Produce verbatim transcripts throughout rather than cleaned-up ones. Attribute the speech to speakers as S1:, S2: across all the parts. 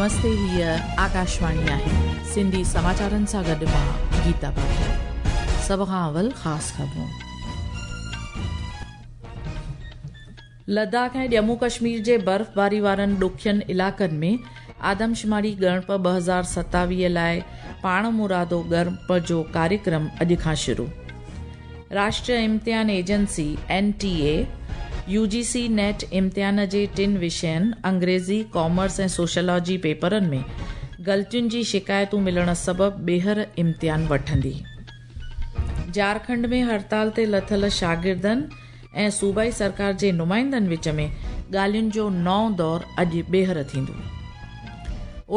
S1: नमस्ते, हीअ आकाशवाणी आहे। सिंधी समाचारनि सां गॾु मां गीता भाटिया। सभ खां अवल ख़ासि ख़बरूं। लद्दाख ऐं जम्मू कश्मीर जे बर्फ़बारी वारनि ॾुखियनि इलाइक़नि में आदमशुमारी ॻणप ॿ हज़ार सतावीह लाइ पाणमुरादो ॻणप जो कार्यक्रम अॼु खां शुरू। राष्ट्रीय इम्तिहान agency N T A U G C NET इम्तिहान जे टिनि विषयनि अंग्रेज़ी, कॉमर्स ऐं सोशलॉजी पेपरनि में ग़लतियुनि जी शिकायतूं मिलण सबबि ॿीहर इम्तिहान वठंदी। झारखंड में हड़ताल ते लथल शागिर्दनि ऐं सूबाई सरकार जे नुमाइंदनि विच में ॻाल्हियुनि जो नओं दौर अॼु ॿीहर थींदो।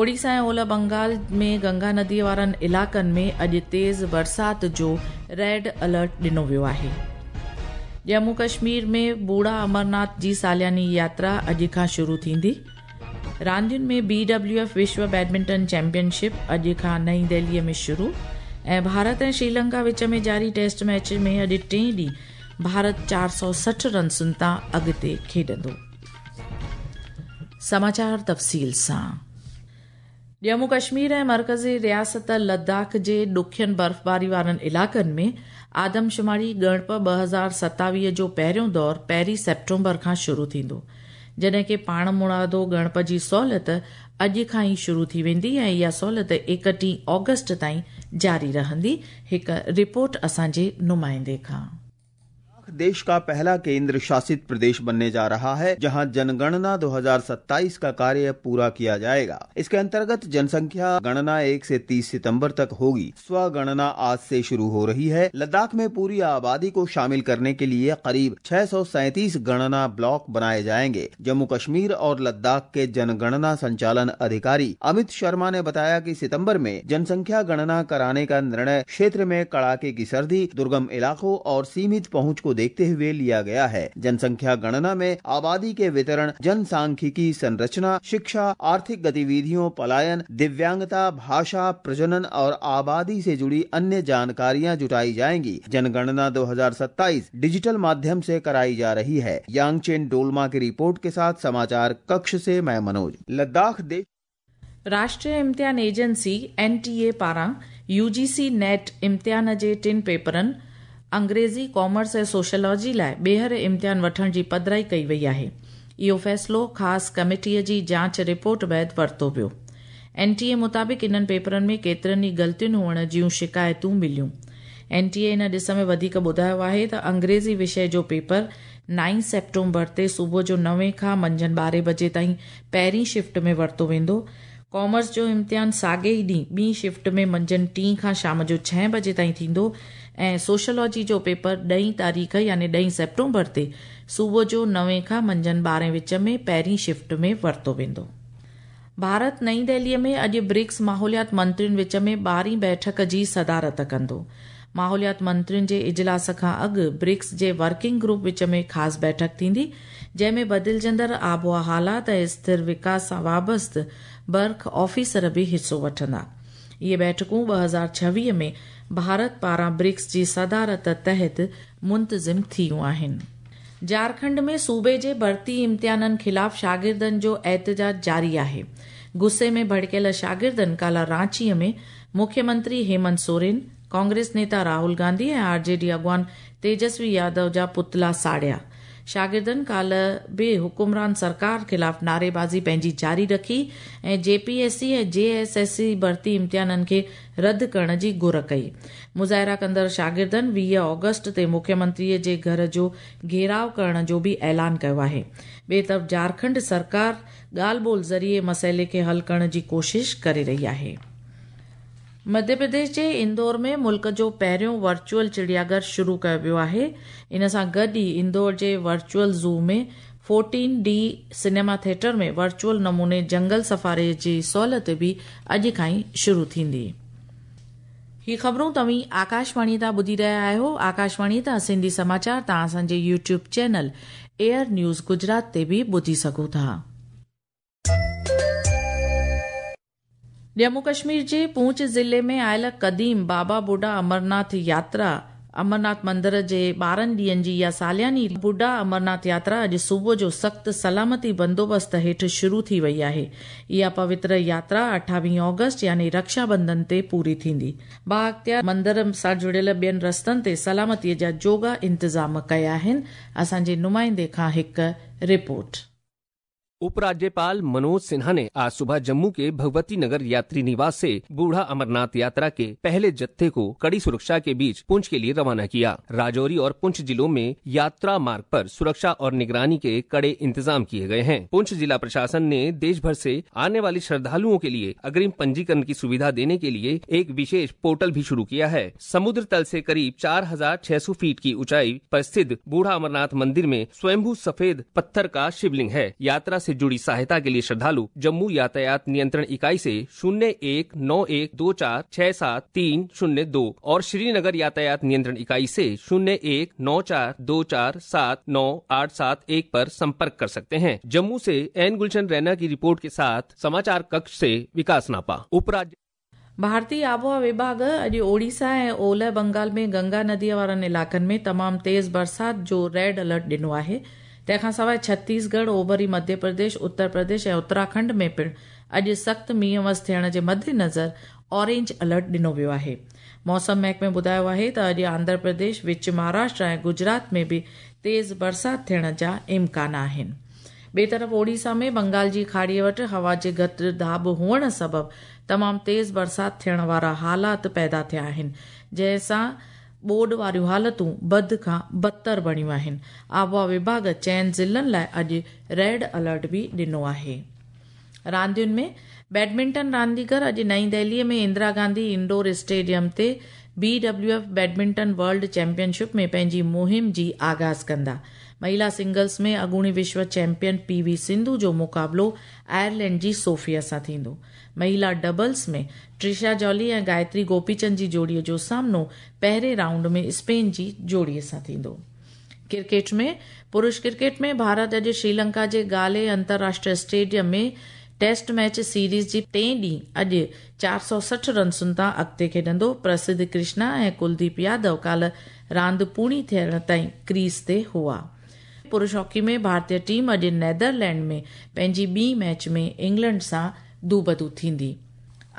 S1: ओडिशा ऐं ओलह बंगाल में गंगा नदीअ वारनि इलाइक़नि में अॼु तेज़ बरसाति जो रेड अलर्ट ॾिनो वियो आहे। जम्मू कश्मीर में बूढ़ा अमरनाथ जी सालियानी यात्रा अॼु खां शुरू थींदी। रांदियुनि में बी डब्ल्यू एफ विश्व बैडमिंटन चैंपियनशिप अॼु खां नई दिल्लीअ में शुरू ऐं भारत ऐं श्रीलंका विच में जारी टेस्ट मैच में अॼु टें ॾींहुं भारत चारि सौ सठि रनसुनि तां अॻिते खेॾंदो। समाचार तफ़सील सां। जम्मू कश्मीर ऐं मर्कज़ी रियासत लद्दाख जे ॾुखियनि बर्फ़बारी वारनि इलाइक़नि में आदमशुमारी ॻणप ॿ हज़ार सतावीह जो पहिरियों दौर पहिरीं सेप्टेम्बर खां शुरू थींदो, जॾहिं की पाणमुरादो ॻणप जी सहूलियत अॼु खां ई शुरू थी वेंदी ऐं इहा सहूलियत एकटीह ऑगस्ट ताईं जारी रहंदी। हिकु रिपोर्ट असांजे नुमाइंदे खां।
S2: देश का पहला केंद्र शासित प्रदेश बनने जा रहा है, जहां जनगणना दो हज़ार सत्ताईस का कार्य पूरा किया जाएगा। इसके अंतर्गत जनसंख्या गणना एक से तीस सितंबर तक होगी। स्वगणना आज से शुरू हो रही है। लद्दाख में पूरी आबादी को शामिल करने के लिए करीब छह सौ सैंतीस गणना ब्लॉक बनाए जाएंगे। जम्मू कश्मीर और लद्दाख के जनगणना संचालन अधिकारी अमित शर्मा ने बताया कि सितम्बर में जनसंख्या गणना कराने का निर्णय क्षेत्र में कड़ाके की सर्दी, दुर्गम इलाकों और सीमित पहुँच को देखते हुए लिया गया है। जनसंख्या गणना में आबादी के वितरण, जनसांख्यिकी संरचना, शिक्षा, आर्थिक गतिविधियों, पलायन, दिव्यांगता, भाषा, प्रजनन और आबादी से जुड़ी अन्य जानकारियां जुटाई जाएंगी। जनगणना दो हज़ार सत्ताईस डिजिटल माध्यम से कराई जा रही है। यांगचेन डोलमा की रिपोर्ट के साथ समाचार कक्ष से मैं मनोज। लद्दाख देश
S1: राष्ट्रीय इम्तिहान एजेंसी एन टी ए पारां you ji C net इम्तिहान जे टिनि पेपरनि अंग्रेज़ी, कॉमर्स ऐं सोशलॉजी लाइ ॿीहर इम्तिहान वठण जी पधराई कई वई आहे। इहो फ़ैसिलो ख़ासि कमेटीअ जी जांच रिपोर्ट बाद वरितो वियो। एन टी ए मुताबिक़ इन्हनि पेपरनि में केतिरनि ई ग़लतियुनि हुअण जूं शिकायतूं मिलियूं। एन टी ए इन ॾिस में वधीक ॿुधायो आहे त अंग्रेज़ी विषय जो पेपर नाइन सेप्टेम्बर ते सुबुह जो नवे खां मंझंदि ॿारहें बजे ताईं पहिरीं शिफ्ट में वरितो वेंदो। कॉमर्स जो इम्तिहान साॻे ई ॾींहुं ॿी शिफ्ट में मंझंदि टीं खां शाम जो छह बजे ताईं थींदो ऐं सोशलॉजी जो पेपर ॾहीं तारीख़ यानी ॾहीं सेप्टेम्बर ते सुबुह जो नवे खां मंझंदि ॿारहें विच में पहिरीं शिफ्ट में वरितो वेंदो। भारत नई दिल्लीअ में अॼु ब्रिक्स माहौलियात मंत्रियुनि विच में ॿारहीं बैठक जी सदारत कंदो। माहौलियात मंत्रियुनि जे इजलास खां अॻु BRICS J working group which में ख़ासि बैठक थींदी, जंहिंमें बदिलजंदड़ आबोहवा हालात ऐं स्थिर विकास सां वाबस्त बर्ख ऑफिसर बि हिसो वठंदा। इहे बैठकूं ॿ हज़ार छवीह में भारत पारां ब्रिक्स जी सदारत तहत मुंतज़िम थियूं आहिनि। झारखंड में सूबे जे भर्ती इम्तिहाननि ख़िलाफ़ शागिर्दनि जो एहतजाज जारी आहे। गुस्से में भड़कियल शागिर्दनि काल्ह रांचीअ में मुख्यमंत्री हेमंत सोरेन, कांग्रेस नेता राहुल गांधी ऐं आर जे डी अॻवान तेजस्वी यादव जा पुतला साड़िया। शागिर्दनि काल्ह बि हुकुमरान सरकार ख़िलाफ़ नारेबाज़ी पंहिंजी जारी रखी ऐं जे पी एस सी ऐं जे एस एस सी भर्ती इम्तिहाननि खे रद्द करण जी घुर कई। मुज़ाहिरा कंदड़ शागिर्दनि वीह ऑगस्ट ते मुख्यमंत्रीअ जे घर जो घेराव करण जो बि ऐलान कयो आहे। ॿिए तरफ़ झारखंड सरकार ॻाल्हि ॿोल ज़रिए मसइले खे हल करण जी कोशिश करे रही आहे। मध्य प्रदेश जे इंदौर में मुल्क जो पहिरियों वर्चुअल चिड़ियाघर शुरू कयो वियो आहे। इन सां गॾु ई इंदौर जे वर्चुअल ज़ू में fourteen D cinema theatre में वर्चुअल नमूने जंगल सफारी जी सहूलियत बि अॼु खां ई शुरू थींदी। ही ख़बरूं तव्हीं आकाशवाणी तां ॿुधी रहिया आहियो। आकाशवाणी तां सिंधी समाचार तव्हां असांजे YouTube channel AIR news Gujarat ते बि ॿुधी सघो था। जम्मू कश्मीर जे पूंछ ज़िले में आयल क़दीम बाबा बुढा अमरनाथ यात्रा अमरनाथ मंदिर जे ॿारहं ॾींहनि जी इहा सालियानी बुढा अमरनाथ यात्रा अॼु सुबुह जो सख़्तु सलामती बंदोबस्त हेठि शुरू थी वई आहे। इहा पवित्र यात्रा अठावीह ऑगस्ट यानी रक्षा बंधन ते पूरी थींदी। बाअख़्तियार मंदिर सां जुड़ियल ॿियनि रस्तनि ते सलामतीअ जा जोगा इंतज़ाम कया आहिनि। असांजे नुमाइंदे खां हिकु रिपोर्ट।
S3: उपराज्यपाल मनोज सिन्हा ने आज सुबह जम्मू के भगवती नगर यात्री निवास से बूढ़ा अमरनाथ यात्रा के पहले जत्थे को कड़ी सुरक्षा के बीच पुंछ के लिए रवाना किया। राजौरी और पुंछ जिलों में यात्रा मार्ग पर सुरक्षा और निगरानी के कड़े इंतजाम किए गए हैं। पुंछ जिला प्रशासन ने देश भर से आने वाले श्रद्धालुओं के लिए अग्रिम पंजीकरण की सुविधा देने के लिए एक विशेष पोर्टल भी शुरू किया है। समुद्र तल से करीब चार हजार छह सौ फीट की ऊंचाई पर स्थित बूढ़ा अमरनाथ मंदिर में स्वयंभू सफेद पत्थर का शिवलिंग है। यात्रा से जुड़ी सहायता के लिए श्रद्धालु जम्मू यातायात नियंत्रण इकाई से शून्य एक नौ एक दो चार छह सात तीन शून्य दो और श्रीनगर यातायात नियंत्रण इकाई से शून्य एक नौ चार दो चार सात नौ आठ सात एक पर संपर्क कर सकते हैं। जम्मू से एन गुलशन रैना की रिपोर्ट के साथ समाचार कक्ष से विकास नापा। उपराज्य
S1: भारतीय आबोहवा विभाग अॼु ओडिशा ऐं ओलह बंगाल में गंगा नदीअ वारनि इलाइक़नि में तमामु तेज़ बरसाति जो रेड अलर्ट ॾिनो आहे। तंहिंखां सवाइ छत्तीसगढ़, ओभरी मध्य प्रदेश, उत्तर प्रदेश ऐं उत्तराखंड में पिणु अॼु सख़्तु मींहुं वस थियण जे मद्देनज़र ऑरेंज अलर्ट ॾिनो वियो आहे। मौसम महकमे ॿुधायो आहे त अॼु आंध्र प्रदेश, विच महाराष्ट्र ऐं गुजरात में बि तेज़ बरसाति थियण जा इम्कान आहिनि। ॿिए तरफ़ ओडिशा में बंगाल जी खाड़ीअ वटि हवा जे घटि दाब हुअण सबबु तमामु तेज़ बरसाति थियण वारा हालात पैदा थिया आहिनि, जंहिंसां ॿोॾ वारियूं हालतूं बद खां बदतर बणियूं आहिनि। आबोहवा विभाग चइनि ज़िलनि लाइ अॼु रेड अलर्ट बि ॾिनो आहे। रांदियुनि में बैडमिंटन रांदीगर अॼु नई दिल्लीअ में इंदिरा गांधी इंडोर स्टेडियम ते B W F badminton world championship में पंहिंजी मुहिम जी आगाज़ कंदा। महिला सिंगल्स में अॻूणी विश्व चैंपियन पी वी सिंधु जो मुक़ाबिलो आयरलैंड जी सोफिया सां थींदो। महिला डबल्स में ट्रिशा जॉली ऐं गायत्री गोपीचंद जी जोड़ीअ जो सामनो पहिरें राउंड में स्पेन जी जोड़ीअ सां थींदो। क्रिकेट में पुरुष क्रिकेट में भारत अॼु श्रीलंका जे गाले अंतर्राष्ट्रीय स्टेडियम में टेस्ट मैच सीरीज़ जी टे ॾींहुं अॼु चार सौ सठि रनसुनि तां अॻिते खेॾंदो। प्रसिद्ध कृष्णा ऐं कुलदीप यादव काल्ह रांदि पूरी थियण ताईं क्रीज ते हुआ। पुरुष हॉकी में भारतीय टीम अॼु नेदरलैंड में पंहिंजी ॿी मैच में इंग्लैंड सां दूबदू थींदी।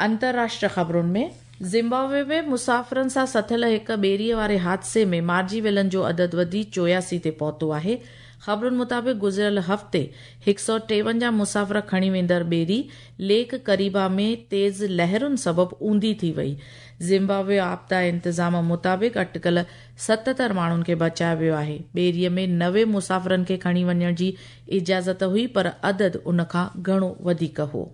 S1: अंतर्राष्ट्रीय ख़बरुनि में ज़िम्बाब्वे में मुसाफ़िरनि सां सथियल हिकु ॿेड़ीअ वारे हादसे में मारिजी वियलनि जो अदद वधी चोयासी ते पहुतो आहे। ख़बरुनि मुताबिक़ गुज़िरियल हफ़्ते हिकु सौ टेवंजाह मुसाफ़िर खणी वेंदड़ ॿेड़ी लेक करीबा में तेज़ लहरुनि सबबु ऊंधी थी वई। ज़िम्बाब्वे आपदा इंतज़ाम मुताबिक़ अटकल सतहतरि माण्हुनि खे बचायो वियो आहे। ॿेड़ीअ में नवे मुसाफ़िरनि खे खणी वञण जी इजाज़त हुई, पर अदद उन खां घणो वधीक हो।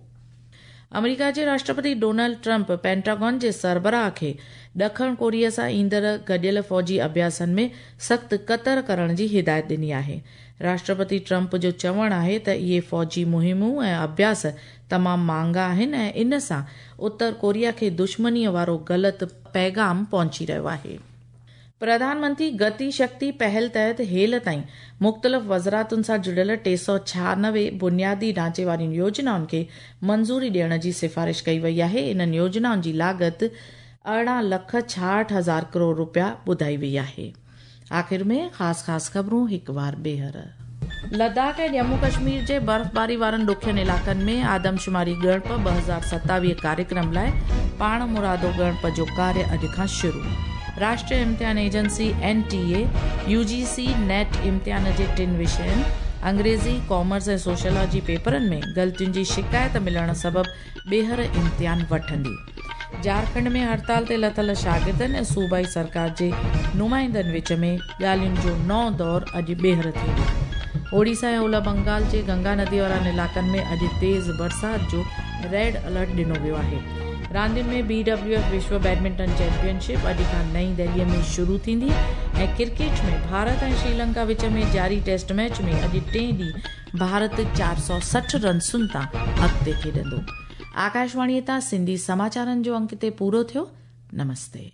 S1: अमेरिका जे राष्ट्रपति डोनाल्ड ट्रंप पेंटागॉन जे सरबराह खे ॾखण कोरिया सां ईंदड़ गॾियल फ़ौजी अभ्यासनि में सख़्तु कतर करण जी हिदायत ॾिनी आहे। राष्ट्रपति ट्रंप जो चवणु आहे त इहे फ़ौजी मुहिमूं ऐं अभ्यास तमामु महांगा आहिनि ऐं इन सां उत्तर कोरिया खे दुश्मनीअ वारो ग़लति पैगाम पहुची रहियो आहे। प्रधानमंत्री गति शक्ति पहल तहत हेल ताईं मुख़्तलिफ़ वज़ारतुनि सां जुड़ियल टे सौ छियानवे बुनियादी ढांचे वारियुनि योजनाउनि खे मंज़ूरी ॾियण जी सिफारिश कई वई आहे। इन्हनि योजनाउनि जी लागत अरिड़हं लख छाहठि हज़ार करोड़ रुपया ॿुधाई वई आहे। आख़िर में ख़ासि ख़ासि ख़बरूं हिकु वार ॿीहर। लद्दाख ऐं जम्मू कश्मीर जे बर्फ़बारी वारनि ॾुखियनि इलाइक़नि में आदमशुमारी ॻणप ॿ हज़ार सतावीह कार्यक्रम लाइ पाण मुरादो ॻणप जो कार्य अॼु खां शुरू। राष्ट्रीय इम्तिहान agency N T A U G C NET इम्तिहान जे टिनि विषयनि अंग्रेज़ी, कॉमर्स ऐं सोशियोलॉजी पेपरनि में ग़लतियुनि जी शिकायत मिलण सबबु ॿीहर इम्तिहान वठंदी। झारखंड में हड़ताल ते लथल शागिर्दनि ऐं सूबाई सरकार जे नुमाइंदनि विच में ॻाल्हियुनि जो नओं दौर अॼु ॿीहर थींदो। ओडिशा ऐं ओलह बंगाल जे गंगा नदी वारनि इलाइक़नि में अॼु तेज़ बरसाति जो रेड अलर्ट ॾिनो वियो आहे। रांदियुनि में बी डब्ल्यू एफ विश्व बैडमिंटन चैंपियनशिप अॼु खां नई दिल्लीअ में शुरू थींदी ऐं क्रिकेट में भारत ऐं श्रीलंका विच में जारी टेस्ट मैच में अॼु टे ॾींहुं भारत चार सौ सठि रनसुनि तां अॻिते खेॾंदो। आकाशवाणीअ तां सिंधी समाचारनि जो अंक हिते पूरो थियो। नमस्ते।